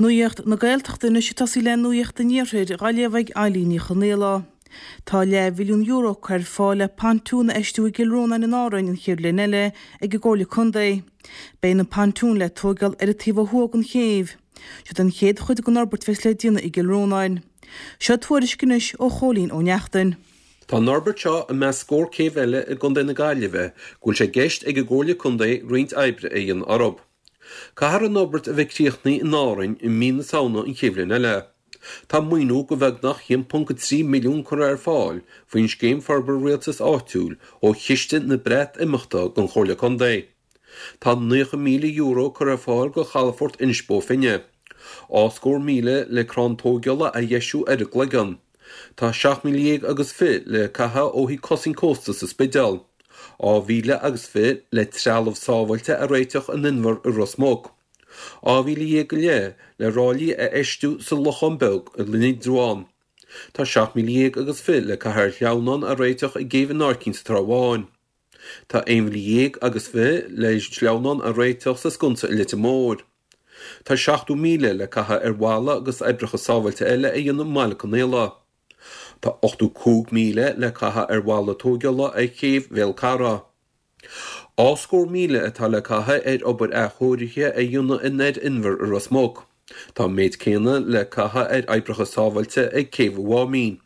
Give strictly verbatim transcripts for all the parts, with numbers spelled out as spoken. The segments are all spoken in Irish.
Nuacht na Gaeltachta anois ag tosaí le Nuacht an Iarthair á léamh ag Eilín Ní Chonaola. Tá leathmhilliún euro curtha ar fáil le pontún a fheistiú i gCill Rónáin in Árainn an chéad bhliain eile ag an gComhairle Contae. Beidh an pontún le tógáil ar an taobh ó thuaidh den chéibh. Seo an chéad chuid den fhorbairt a bheas le déanamh i gCill Rónáin. Seo tuairisc anois ó Chóilín Ó Neachtain. Tá an fhorbairt seo i measc scór céibh eile i gContae na Gaillimhe go bhfuil sé i gceist ag an gComhairle Contae roinnt oibre a dhéanamh orthu. Caithfear an fhorbairt a bheith críochnaithe in Árainn i mí na Samhna an chéad bhliain eile. Tá maoiniú de bheagnach a haon ponc a trí milliún curtha ar fáil faoin scéim forbartha rialtais áitiúil ó chiste na Breatimeachta don Chomhairle Contae. Tá naocha míle euro curtha ar fáil go chalafort Inis Bó Finne. Dhá scór míle le crann tógála a dheisiú ar an gCloigeann. Tá seacht míle dhéag agus fiche le caitheamh ó thaobh cosaint cósta sa Spidéal. Dhá mhíle agus fiche le trealamh sábháilte a réiteach in Inbhear i Ros Muc. Dhá mhíle dhéag go leith le ráillí a fheistiú sa Lochán Beag i Indreabhán. Tá seacht míle dhéag agus fiche le caitheamh ar shleamhnán a réiteach i gCéibh an Aircín sa Trá Bháin. Tá aon mhíle dhéag agus fiche le sleamhnán a réiteach sa Sconsa i Leitir Móir. Tá seachtó míle le caitheamh ar bhalla agus oibreacha sábháilte eile a dhéanamh i mBaile Conaola. Tá ochtó cúig míle le caitheamh ar bhalla tógála ar chéibh Bhéal Carra. Dhá scór míle atá le caitheamh ar obair athchóirithe a dhéanamh in Aer-Inbhear i Ros Muc. Tá an méid céanna le caitheamh ar oibreacha sábháilte ag Céibh an Mháimín.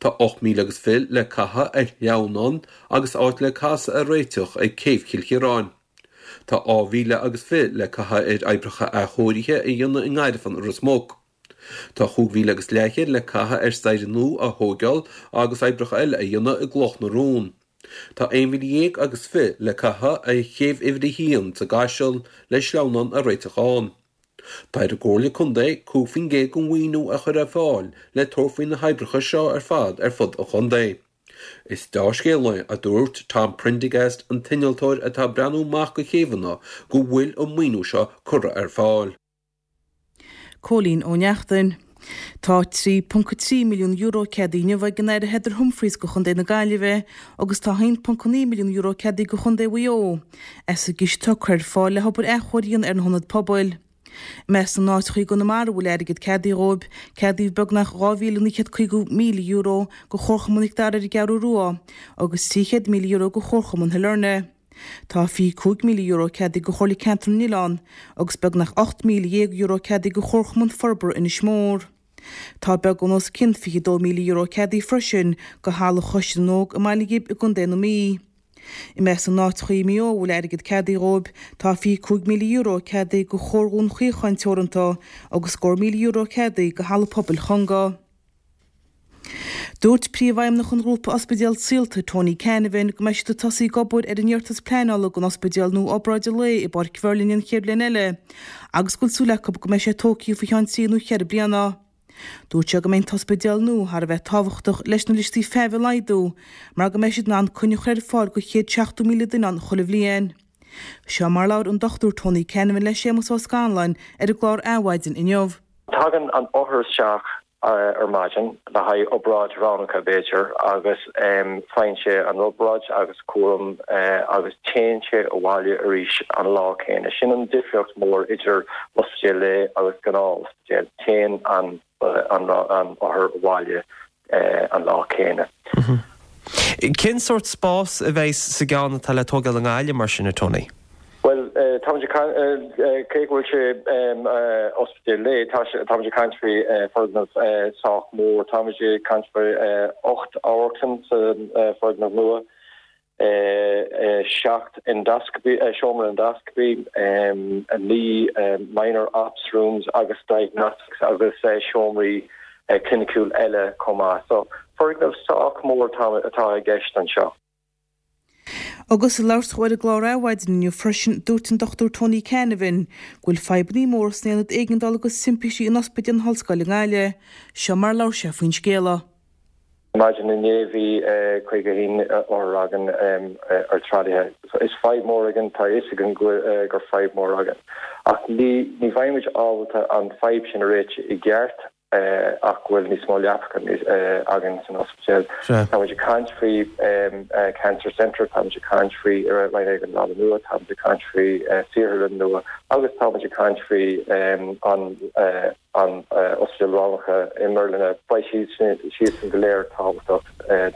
Tá ocht míle agus fiche le caitheamh ar shleamhnán agus áit le casadh a réiteach ag Céibh Chill Chiaráin. Tá dhá mhíle agus fiche le caitheamh ar oibreacha athchóirithe a dhéanamh i nGairfean i Ros Muc. Tá chúig mhíle agus leathchéad le caitheamh ar staighre nua a thógáil agus oibreacha eile a dhéanamh i gCloch na Rón. Tá aon mhíle dhéag agus fiche le caitheamh ar chéibh uimhir a haon sa gCaiseal le sleamhnán a réiteach ann. Tá ar an gComhairle Contae cúig faoin gcéad den mhaoiniú a chur ar fáil le tabhairt faoi na hoibreacha seo ar fad ar fud an chontae. Is dea-scéal é, a dúirt Tom Prendergast, an t-innealtóir atá ag breathnú amach do chéibheanna, go bhfuil an maoiniú seo curtha ar fáil. Cóilín Ó Neachtain. Tá trí ponc trí milliún euro ceadaithe inniu ag an Aire Heather Humphreys go Chontae na Gaillimhe agus tá haon ponc naoi milliún euro ceadaithe go Chontae Mhaigh Eo as an gciste atá curtha ar fáil le hobair athchóirithe ar na hionaid pobail. I measc na n-áiteacha i gConamara a bhfuil airgead ceadaithe dhóibh, ceadaíodh beagnach dhá mhíle naoi chéad caoga míle euro go Chomharchumann Mhic Dara ar an gCeathrú Rua agus trí chéad míle euro go Chomharchumann Shailearna. Tá fiche cúig míle euro ceadaithe go Chomhairle Ceantar na nOileán agus beagnach ocht míle dhéag euro ceadaithe go Chomharchumann Forbartha Inis Mór. Tá beagán os cionn fiche dó míle euro ceadaithe freisin go Halla Choiste na nÓg i mBaile Ghib i gContae na Mí. I measc na n-áiteacha i Maigh Eo a bhfuil airgead ceadaithe dhóibh, tá fiche cúig míle euro ceadaithe go Chomhar Dhún Chaocháin Teoranta agus scór míle euro ceadaithe go Halla Pobail Chonga. Dúirt Príomhfheidhmeannach an Ghrúpa Ospidéal Saolta, Tony Canavan, go mbeidh siad ag tosaí ag obair ar an iarratas pleanála don ospidéal nua obráide lae i bPáirc Mherlin an chéad bhliain eile agus go bhfuil súil acu go mbeidh sé tógtha faoi cheann trí nó cheithre bliana. Dúirt sé go mbeidh an t-ospidéal nua thar a bheith tábhachtach leis na liostaí feithimh a laghdú mar go mbeidh siad in ann coinne a chur ar fáil do chéad seachtó míle duine ann chuile bhliain. Seo mar a labhair an Dochtúir Tony Canavan le Séamus Ó Scanláin ar an gclár Adhmhaidin inniu. Tagann an othar isteach ar maidin le haghaidh obráid roghnacha b'fhéidir agus faigheann sé an obráid agus cúram agus téann sé abhaile arís an lá céanna. Sin an difríocht mór idir ospidéal lae agus gnáth-ospidéal. Téann an an an othar abhaile an lá céanna. Cén sórt spás a bheidh sa gceann atá le tógáil i nGaillimh mar sin, a Tony? Well táimid cé go bhfuil sé ospidéal lae táimid ag caint faoi foirgneamh sách mór, táimid ag caint faoi ocht amharclann sa foirgneamh nua, seacht endoscopy seomra endoscopy, naoi minor ops rooms agus diagnostics agus seomraí cliniciúil eile chomh maith. So foirgneamh sách mór atá i gceist anseo. Agus ag labhairt dó ar an gclár Adhmhaidin inniu freisin, dúirt an Dochtúir Tony Canavan go bhfuil fadhbanna móra san aonad éigeandála agus timpistí in Ospidéal na hOllscoile i nGaillimh. Seo mar a labhair sé faoin scéala. Maidin inné bhí caoga a haon othar againn ar tralaithe. Is fadhb mór againn, tá a fhios againn gur fadhb mór againn. Ach ní ní bheidh muid ábalta an fadhb sin a réiteach i gceart ach go bhfuil níos mó leapacha againn san ospidéal. Tá muid ag caint faoi Cancer Centre, tá muid ag caint faoi Roinn Éigeandála nua, tá muid ag caint faoi saotharlann nua agus tá muid ag caint faoi an an ospidéal roghnacha i mBearna. Beidh siad siadsan go léir tábhachtach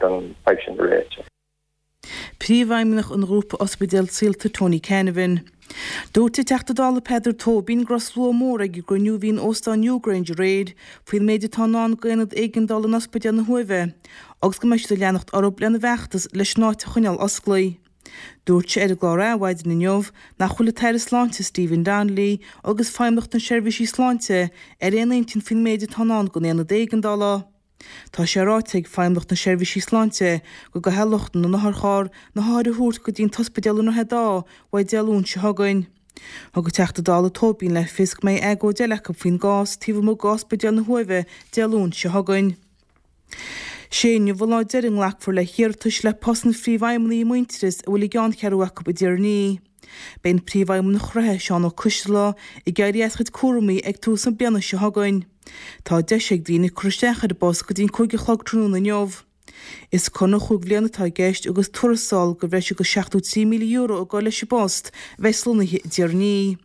don fhadhb sin a réiteach. Príomhfheidhmeannach an Ghrúpa Ospidéal Saolta Tony Canavan. Dúirt an Teachta Dála Peadar Tóibín go raibh slua mór ag an gcruinniú a bhí in Óstán Newgrange aréir faoin méid atá i ndán d'aonad éigeandála in Ospidéal na hUaimhe agus go mbeidh siad ag leanacht orthu lena bhfeachtas leis an áit a choinneáil osclaí. Dúirt sé ar an gclár Adhmhaidin inniu nach bhfuil an tAire Sláinte Stephen Donnelly agus Feidhmeannacht na Seirbhísí Sláinte ar aon intinn faoin méid atá i ndán don aonad éigeandála. Tá sé ráite ag Feidhmeannacht na Seirbhísí Sláinte go gcaithfidh lucht na n-otharcharr na hothair a thabhairt go dtí an t-ospidéal i nDroichead Átha uaidh Dé Luain seo chugainn. Thug an Teachta Dála Tóibín le fios go mbeidh agóid eile acu faoin gcás taobh amuigh d'Ospidéal na hUaimhe Dé Luain seo chugainn. Sé inniu an lá deiridh a nglacfar le hiarratais le post an phríomhfheidhmeannaigh i Muintearas a bhfuil a gceanncheathrú acu i dTír an Fhia. Beidh an príomhfheidhmeannach reatha, Seán Ó Coisdealbha, ag éirí as a chuid cúraimí ag tús na bliana seo chugainn. Tá deis ag daoine cur isteach ar an bpost go dtí an cúig a chlog tráthnóna inniu. Is conradh chúig bhliana atá i gceist agus tuarastal de bhreis agus seachtó trí míle euro ag dul leis an bpost a bheas lonnaithe i dTír an Fhia.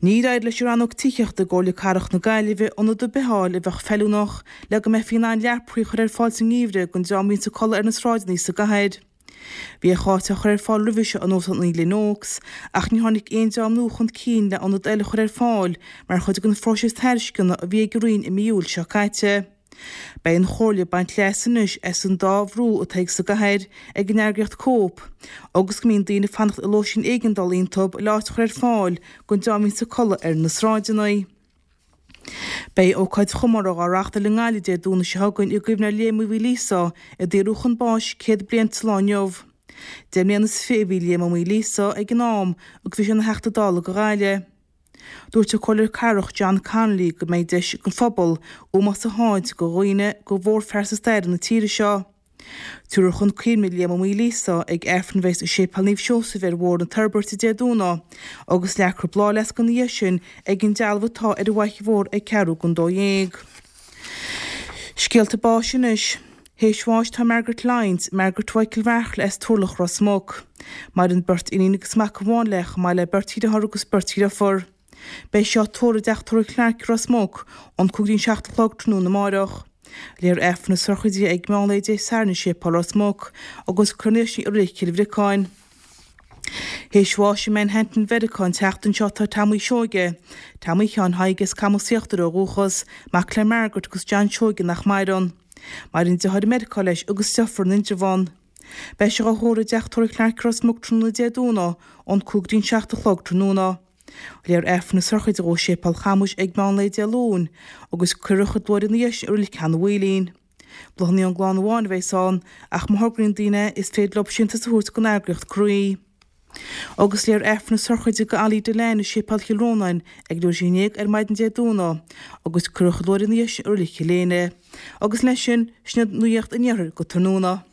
Níor éirigh leis an Rannóg Tithíochta i gComhairle Cathrach na Gaillimhe ionad ar bith a fháil a bheadh feiliúnach le go mbeifí in ann leapacha a chur ar fáil sa ngeimhreadh don dream a bhíonns ag codladh ar na sráideanna sa gcathair. Bhíodh áit á chur ar fáil roimhe seo in Óstán Glen Oaks ach níor tháinig aon dream nua chun cinn le ionad eile a chur ar fáil mar chuid den phróiseas tairisceana a bhí ag an Roinn i mí Iúil seo caite. Beidh an Chomhairle ag baint leas anois as an dá bhrú atá ag sa gcathair ag an eagraíocht Cope agus go mbíonn daoine ag fanacht i lóistín éigeandála iontu le áit a chur ar fáil don dream a bhíonns ag codladh ar na sráideanna. Beidh ócáid chomórtha á reáchtáil i nGaillimh Dé Domhnaigh seo chugainn i gcuimhne ar Liam Uí Mhaoilíosa a daoradh chun báis céad bliain sa lá inniu. Deich mbliana is fiche a bhí Liam Ó Maoilíosa ag an am agus bhí sé ina Theachta Dála do Ghaillimh. Dúirt an Comhairleoir Cathrach John Connolly go mbeidh deis ag an phobal ómós a thabhairt do dhuine de mhórphearsa staire na tíre seo. Tabharfar chun cuimhne Liam Ó Maoilíosa ag Aifreann a bheas i Séipéal Naomh Seosamh ar Bhóthar na Toirbhirte Dé Domhnaigh agus leagfar bláthfhleasc ina dhiaidh sin ag an dealbh atá ar an bhFaiche Mhór ag ceathrú don dó dhéag. Scéalta báis anois. Théis bháis tá Margaret Lyons, Margaret Mhichael Bheartla as Turlach Ros Muc. Maireann beirt iníon agus mac amháin léi chomh maith le beirt dheartháir agus beirt dheirfiúr. Beidh sí á tórramh i dteach tórraimh Clarke i Ros Muc ón cúig go dtí an seacht a chlog tráthnóna amáireach. Léifear Aifreann na sochraide ag meán lae Dé Sathairn i Séipéal Ros Muc agus cuirfear í i Reilig Chill Bhriocáin. Théis bháis i Manhattan Mheiriceá an tseachtain seo tá Tomaí Seoige, Tomaí Sheáin Thaidhg as Camas Íochtar ó dhúchas, mac le Margaret agus John Seoige nach maireann. Maireann deartháir i Meiriceá leis agus deirfiúr in Indreabhán. Beidh sé á thórramh i dteach tórraimh Clarke i Ros Muc tráthnóna Dé Domhnaigh ón cúig go dtí an seacht a chlog tráthnóna. Léifear Aifreann na sochraide dhó i Séipéal Chamuis ag meán lae Dé Luain agus cuirfear a chuid luaithre ina dhiaidh sin i Reilig Sheanadh Mhaoilín. Bláthanna ón gclann amháin a bheas ann ach má thograíonn daoine is féidir leo síntiús a thabhairt don eagraíocht Croí. Agus léifear Aifreann na sochraide do Ollie Dillane i Séipéal Chill Rónáin ag leathuair tar éis a haon déag ar maidin Dé Domhnaigh agus cuirfear a chuid luaithre ina dhiaidh sin i Reilig Chill Éinne. Agus leis sin, sin iad nuacht an iarthair go tráthnóna.